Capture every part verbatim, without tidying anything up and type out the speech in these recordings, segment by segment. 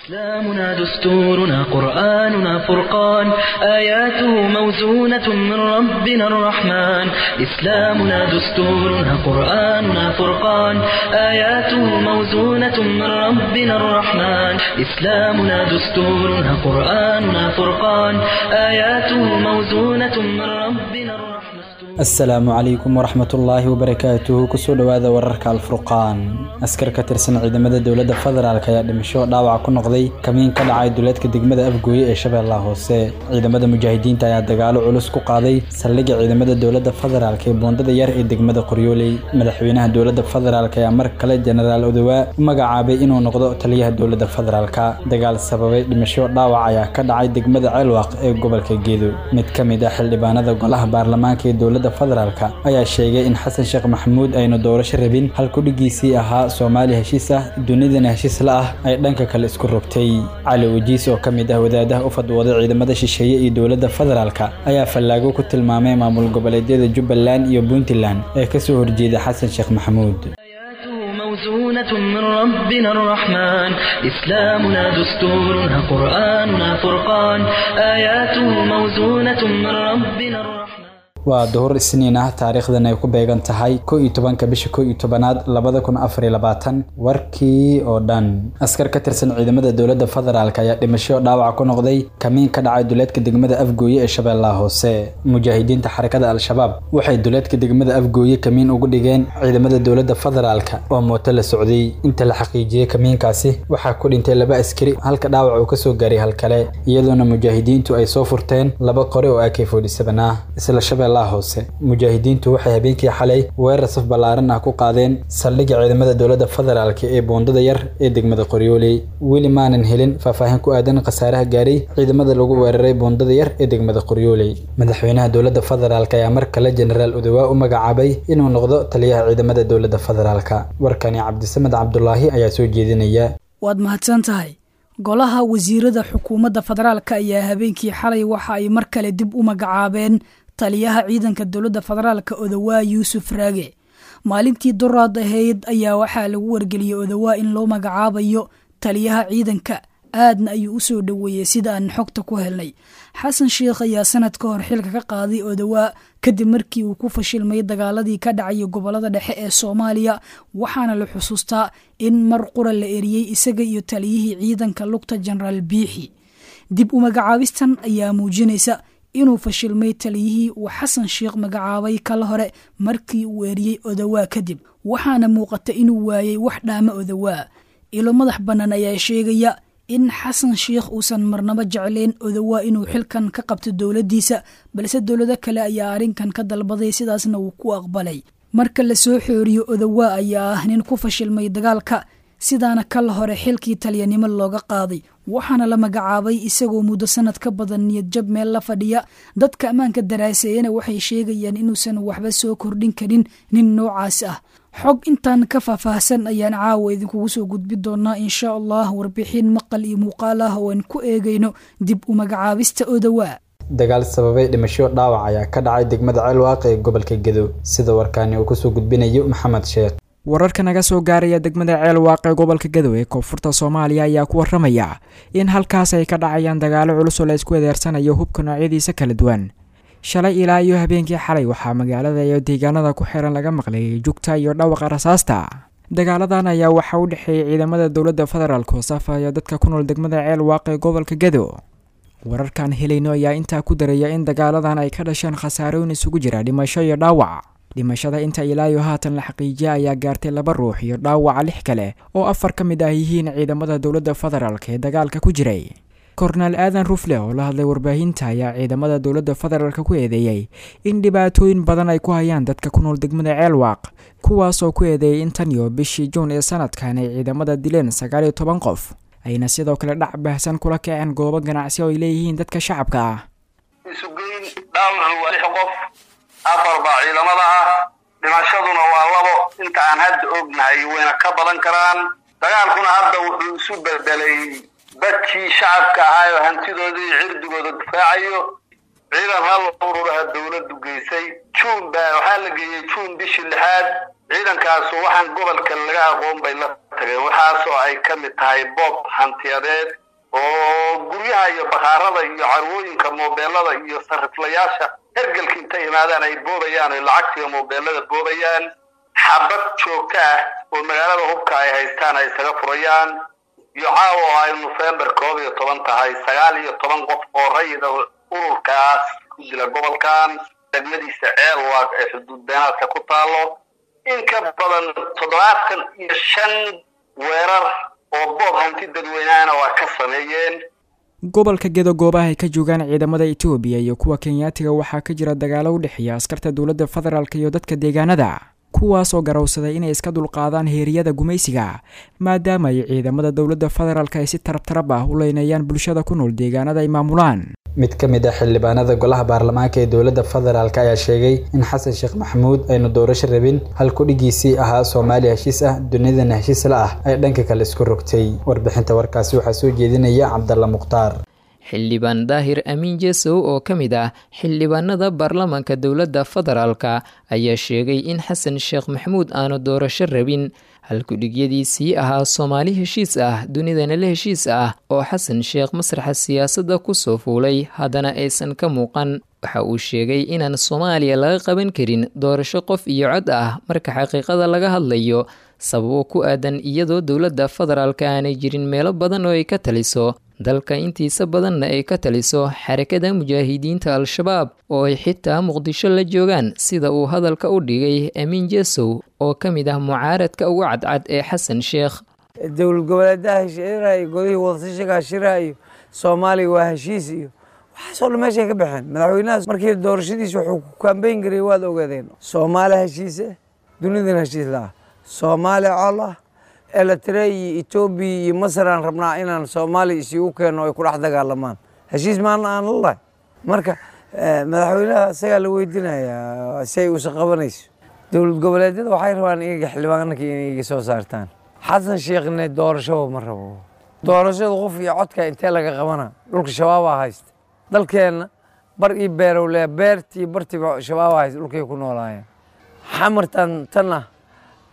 إسلامنا دستورنا قرآننا فرقان آياته موزونة من ربنا الرحمن إسلامنا دستورنا قرآننا فرقان آياته موزونة من ربنا الرحمن إسلامنا دستورنا قرآننا فرقان آياته موزونة من ربنا الرحمن. Asalaamu calaykum waraxmatullaahi wabarakaatuhu. Kusoo dhowaada wararka Alfurqaan. Askar ka tirsan ciidamada dowladda federaalk ayaa dhimasho dhaawac ku noqday kamiin ka dhacay duleedka degmada Afgooye ee Shabeellaha Hoose. Ciidamada mujaahidiinta ayaa dagaalo culus ku qaaday saldhigga ciidamada dowladda federaalk ee Boondada Yar ee degmada Qoryooley. Madaxweynaha dowladda federaalk ayaa mar kale Jenaraal Odowaa u magacaabay inuu noqdo taliyaha dowladda federaalka. Dagaal sababay dhimasho dhaawac ayaa ka dhacay degmada Ceelwaaq ee gobolka Geedo. Mid ka mid ah xildhibaanada golaha baarlamaanka ee dowladda federaalka ayaa sheegay in Xasan Sheekh Maxamuud aynu doorasho rabin, halku dhigiisii ahaa Soomaali heshiis ah dunidana heshiis la ah ay dhanka kale isku rogtay. Cali Wajiis oo ka mid ah wadaadaha u fadwooday ciidamada shisheeye iyo dowladda federaalka ayaa fallaago ku tilmaamay maamul goboleedyada Jubbaland iyo Puntland ee kasoo horjeeda Xasan Sheekh Maxamuud. موزونة من ربنا الرحمن إسلامنا دستورنا قرآننا فرقان آياته موزونة من ربنا الرحمن. Waa duhur Isniin ah, taariikhdan ay ku beegan tahay kow iyo tobanka bisha kow iyo tobanaad labada kun afar iyo labaatan. Warkii oo dhan. Askar ka tirsan ciidamada dowladda federaalk ayaa dhimasho dhaawac ku noqday kamiin ka dhacay duleedka degmada Afgooye ee Shabeellaha Hoose. Mujaahidiinta xarakada Al-Shabaab waxay duleedka degmada Afgooye kamiin ugu dhigeen ciidamada dowladda federaalk oo mooto la socday. Inta la xaqiijiyey kamiinkaasi waxaa ku dhintay laba askari, halka dhaawac uu kasoo gaaray hal kale, iyadoona mujaahidiintu ay soo furteen laba qori oo A K forty seven ah. Isla Shabeellaha Hoose, mujaahidiintu waxay habeenkii xalay weerar saf ballaaran ah ku qaadeen saldhigga ciidamada dowladda federaalk ee Boondada Yar ee degmada Qoryooley. Weli maanan helin faahfaahin ku aadan khasaaraha gaaray ciidamada lagu weeraray Boondada Yar ee degmada Qoryooley. Madaxweynaha dowladda federaalk ayaa mar kale Jenaraal Odowaa u magacaabay inuu noqdo taliyaha ciidamada dowladda federaalka. Warkani Cabdisamed Cabdulaahi ayaa soo jeedinaya. Waad mahadsan tahay. Golaha wasiirada xukuumadda federaalka ayaa habeenkii xalay waxa ay mar kale dib u magacaabeen taliyaha ciidanka dowladda federaalka Odowaa Yuusuf Raage. Maalintii duraad ahayd ayaa waxaa lagu wargeliyey Odowaa in loo magacaabayo taliyaha ciidanka, aadna ayuu u soo dhoweeyey sida aan xogta ku helnay. Xasan Sheekh ayaa sanad ka hor xilka ka qaaday Odowaa kadib markii uu ku fashilmay dagaaladii ka dhacay gobolada dhexe ee Soomaaliya, waxaana la xusuustaa in mar qura la eriyey isaga iyo taliyihii ciidanka lugta Jenaraal Biixi. Dib u magacaabistan ayaa muujinaysa inuu fashilmay taliyihii uu Xasan Sheekh magacaabay kala hore markii uu eriyey Odowaa kadib, waxaana muuqata inuu waayey wax dhaama Odowaa. Ilo madax bannaan ayaa sheegaya in Xasan Sheekh uusan marnaba jeclayn Odowaa inuu xilkan ka qabto dowladdiisa, balse dowlado kale ayaa arrinkan ka dalbaday, sidaasna uu ku aqbalay. Marka la soo xooriyo, Odowaa ayaa ah nin ku fashilmay dagaalka, sidaana kala hore xilkii taliyanimo looga qaaday, waxaana la magacaabay isagoo muddo sanad ka badan niyad jab meel la fadhiya. Dadka ammaanka daraaseeyana waxay sheegayaan inuusan waxba soo kordhin karin nin noocaas ah. Xog intaan ka faahfaahsan ayaan caawa idinkugu soo gudbi doonaa insha Allah warbixin maqal iyo muuqaal ah oo aan ku eegayno dib u magacaabista Odowaa. Dagaal sababay dhimasho dhaawac ayaa ka dhacay degmada Ceelwaaq ee gobolka Gedo, sida warkaani uu kusoo gudbinayo Maxamed Sheekh. Wararka naga soo gaaraya degmada Ceelwaaq ee gobolka Gadow ee koonfurta Soomaaliya ayaa ku waramaya in halkaas ay ka dhacayaan dagaalo culus oo la isku weeraarsanayo hubka noocyadiisa kala duwan. Shalay ilaa iyo habeenkii xalay waxaa magaalada iyo deegaanada ku xiran laga maqlay jugta iyo dhawaqa rasaasta. Dagaaladan ayaa waxa u dhexeeyay ciidamada dowladda federaalk oo safaya dadka ku nool degmada Ceelwaaq ee gobolka Gadow. Wararkan helayno ayaa intaa ku daraya in dagaaladan ay ka dhasheen khasaarooyin isugu jira dhimasho iyo dhaawac. Dhimashada inta ilaa iyo haatan la xaqiijiyay ayaa gaartay laba ruux iyo dhaawaca lix kale oo afar ka mid ah yihiin ciidamada dowladda federaalk ee dagaalka ku jiray. Korneel Aadan Rufle oo la hadlay warbaahinta ayaa ciidamada dowladda federaalk ku eedeeyay in dhibaatooyin badan ay ku hayaan dadka ku nool degmada Ceelwaaq, kuwaas oo ku eedeeyay in tan iyo bishii Juun ee sanadkan ay ciidamada dileen sagaal iyo toban qof, ayna sidoo kale dhac baahsan kula kaceen goobo ganacsi oo ay leeyihiin dadka shacabka ah. Isugeyn dhaawacu waa lix qof, afar baa ciidamada ah, dhimashaduna waa labo. Inta aan hadda ognahay wayna ka badan karaan. Dagaalkuna hadda wuxuu isu bedelay dadkii shacabka ahaa oo hantidoodii cirdigooda difaacayo. Ciidan hal ururaha dowladdu geysay Juun baa waxaa la geeyey Juun bishii lixaad. Ciidankaasu waxaan gobolka laga aqoon bay la tageen, waxaasoo ay ka mid tahay boob hantiyadeed oo guryaha iyo bakhaarada iyo carwooyinka moobeelada iyo sariflayaasha hergelka intay imaadaan ay boobayaan oy lacagtiiyo moobeelada boobayaan, xabad joogto ah oo magaalada hubka ay haystaan ay isaga furayaan, iyo caawa oo ay Nofembar koob iyo toban tahay sagaal iyo toban qof oo rayida ururkaas ku dila gobolkan degmadiisa Ceelwaaq ee xuduud beenaadka ku taalo, in ka badan toddobaatan iyo shan weerar oo boob hanti dadweynahana waa ka sameeyeen. Gobolka Gedo goobaha ay ka joogaan ciidamada Itoobiya iyo kuwa Kenyaatiga waxaa ka jira dagaalo u dhexeeya askarta dowladda federaalk iyo dadka deegaanada, kuwaasoo garowsaday inay iska dulqaadaan heeriyada gumaysiga, maadaama ay ciidamada dowladda federaalk ay si tarabtarab ah u leynayaan bulshada ku nool deegaanada ay maamulaan. Mid ka mid ah xildhibaanada golaha baarlamaanka ee dowladda federaalk ayaa sheegay in Xasan Sheekh Maxamuud aynu doorasho rabin, hal ku-dhigiisii ahaa Soomaaliya heshiis ah dunidana heshiis la ah ay dhanka kale isku rogtay. Warbixinta warkaasi waxaa soo jeedinaya Cabdalla Mukhtaar. Xildhibaan Daahir Amiin Jesow oo ka mid ah xildhibaanada baarlamaanka dowladda federaalka ayaa sheegay in Xasan Sheekh Maxamuud aanu doorasho rabin, halkudhigyadiisii ahaa Soomaali heshiis ah dunidana la heshiis ah oo Xasan Sheekh masraxa siyaasadda kusoo fuulay haddana aysan ka muuqan. Waxa uu sheegay inaan Soomaaliya laga qaban karin doorasho qof iyo cod ah marka xaqiiqada laga hadlayo, sababo ku aadan iyadoo dowladda federaalka aanay jirin meelo badan oo ay ka taliso dalka intiisa badanna ay ka taliso xarakada mujaahidiinta Al-Shabaab oo ay xitaa Muqdisho la joogaan, sida uu hadalka u dhigay Amiin Jesow oo ka mid ah mucaaradka ugu cadcad ee Xasan Sheekh. Dowlad goboleedaha heshiirayo, golihii wadashiga heshirayo, Soomaaliya waa heshiis iyo waxaasoo dhan meeshay ka baxeen. Madaxweynahaas markii doorashadiisa wuxuu ku kambeyn garay waad ogaadeen, Soomaali heshiise dunidana heshiis la ah, Soomaali col ah, Eritrea iyo Etoobiya iyo Masar aan rabnaa inaan Soomaaliya isugu keeno ay ku dhex dagaalamaan, heshiis maana aan la lahay. Marka madaxweynaha isagaa la weydiinayaa si ay uusan qabanayso. Dowlad goboleedyada waxay rabaan iyaga xildhibaanka inay iga soo saartaan. Xasan Sheekhne doorashaba ma rabo. Doorashada qof iyo codka intee laga qabana? Dhulka shabaabaa haysta. Dalkeenna bar iyo beerow le, beertii bartiiba shabaabaa haysta, dhulkay ku noolaayeen. Xamartan tan ah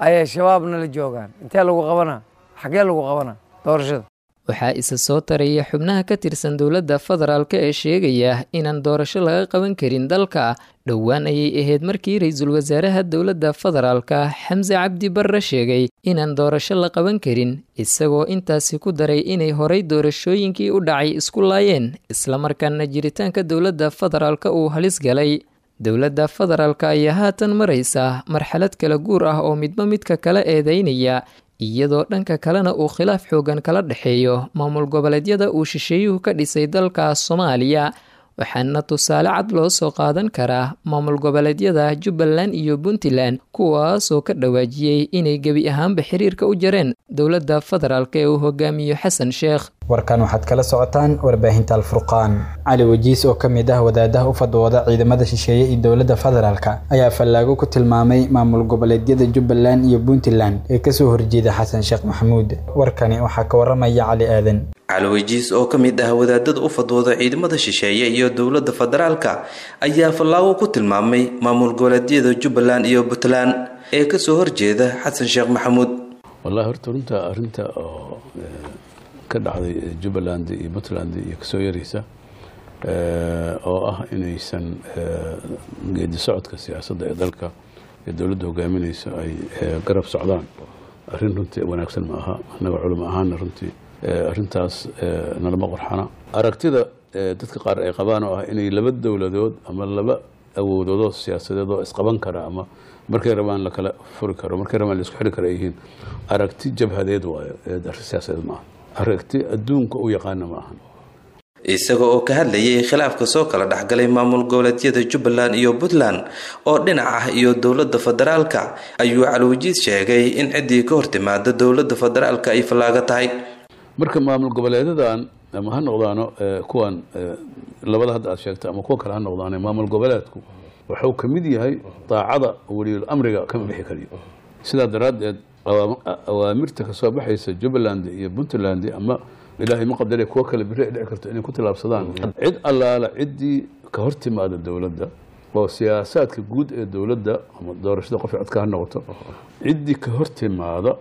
ayay shabaabna la joogaan, intee lagu qabanaa? Xaggee lagu qabanaa doorashada? Waxaa isa soo taraya xubnaha ka tirsan dowladda federaalk ee sheegaya inaan doorasho laga qaban karin dalka. Dhowaan ayay ahayd markii ra-iisul wasaaraha dowladda federaalka Xamse Cabdi Barre sheegay inaan doorasho la qaban karin, isagoo intaasi ku daray inay horay doorashooyinkii u dhacay isku laayeen, islamarkaana jiritaanka dowladda federaalka uu halis galay. Dowladda federaalka ayaa haatan maraysa marxalad kala guur ah oo midba midka kala eedeynaya, iyadoo dhanka kalena uu khilaaf xoogan kala dhexeeyo maamul goboleedyada uu shisheeyuhu ka dhisay dalka Soomaaliya. Waxaana tusaale cad loo soo qaadan karaa maamul goboleedyada Jubbaland iyo Puntland, kuwaasoo ka dhawaajiyey inay gebi ahaanba xiriirka u jareen dowladda federaalk ee uu hogaamiyo Xasan Sheekh. Warkan waxaad kala socotaan warbaahinta Alfurqaan. Cali Wajiis oo ka mid ah wadaadaha u fadwooda ciidamada shisheeye iyo dowladda federaalka ayaa fallaago ku tilmaamay maamul goboleedyada Jubbaland iyo Puntland ee kasoo horjeeda Xasan Sheekh Maxamuud. Warkani waxaa ka waramaya Cali Aadan. Cali Wajiis oo ka mid ah wadaadada u fadwooda ciidamada shisheeye iyo dowladda federaalka ayaa fallaago ku tilmaamay maamul goboleedyada Jubbaland iyo Puntland ee kasoo horjeeda Xasan Sheekh Maxamuud. Wallahi horta runta arrinta oo ka dhacday Jubbaland iyo Puntland iyo kasoo yaraysa oo ah inaysan geedi socodka siyaasadda ee dalka ee dowladda hogaaminaysa ay garab socdaan, arrin runtii wanaagsan ma aha. Annaga culimo ahaana runtii arrintaas nalama qorxana. Aragtida dadka qaar ay qabaan oo ah inay laba dowladood ama laba awoodoodoo siyaasadeed oo isqaban kara ama markay rabaan la kala furi karo, markay rabaan la isku xiri karo ay yihiin, aragti jabhadeed waayo, arrin siyaasadeed ma aha, aragti adduunka u yaqaana ma ahan. Isaga oo ka hadlayay khilaafka soo kala dhexgalay maamul goboleedyada Jubbaland iyo Puntland oo dhinac ah iyo dowladda federaalka ayuu Cali Wajiis sheegay in ciddii ka hortimaada dowladda federaalka ay fallaaga tahay. Marka maamul goboleedadan ama ha noqdaano kuwan labada hadda aad sheegtay ama kuwa kale ha noqdaano, maamul goboleedku wuxuu ka mid yahay daacada weliyul amriga kama bixi kariyo. Sidaa daraaddeed awaamirta kasoo baxaysa Jubbaland iyo Puntland ama ilaahay ma qadaray kuwa kale biri ay dhici karto inay ku tilaabsadaan, cid allaala ciddii ka hor timaada dowladda oo siyaasaadka guud ee dowladda ama doorashada qof codka ha noqoto, ciddii ka hor timaada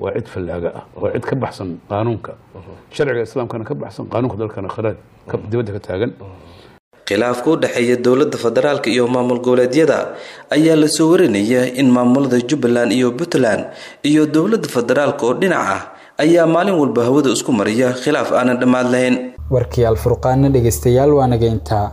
Waa cid fallaaga ah, waa cid ka baxsan qaanuunka, sharciga islaamkana ka baxsan, qaanuunka dalkana kharaad dibadda ka taagan. Khilaafka u dhexeeya dowladda federaalka iyo maamul goboleedyada ayaa lasoo warinaya in maamulada Jubbaland iyo Puntland iyo dowladda federaalka oo dhinac ah ayaa maalin walba hawada isku mariya khilaaf aanan dhammaad lahayn. Warkii Alfurqaana dhegeystayaal waa naga intaa.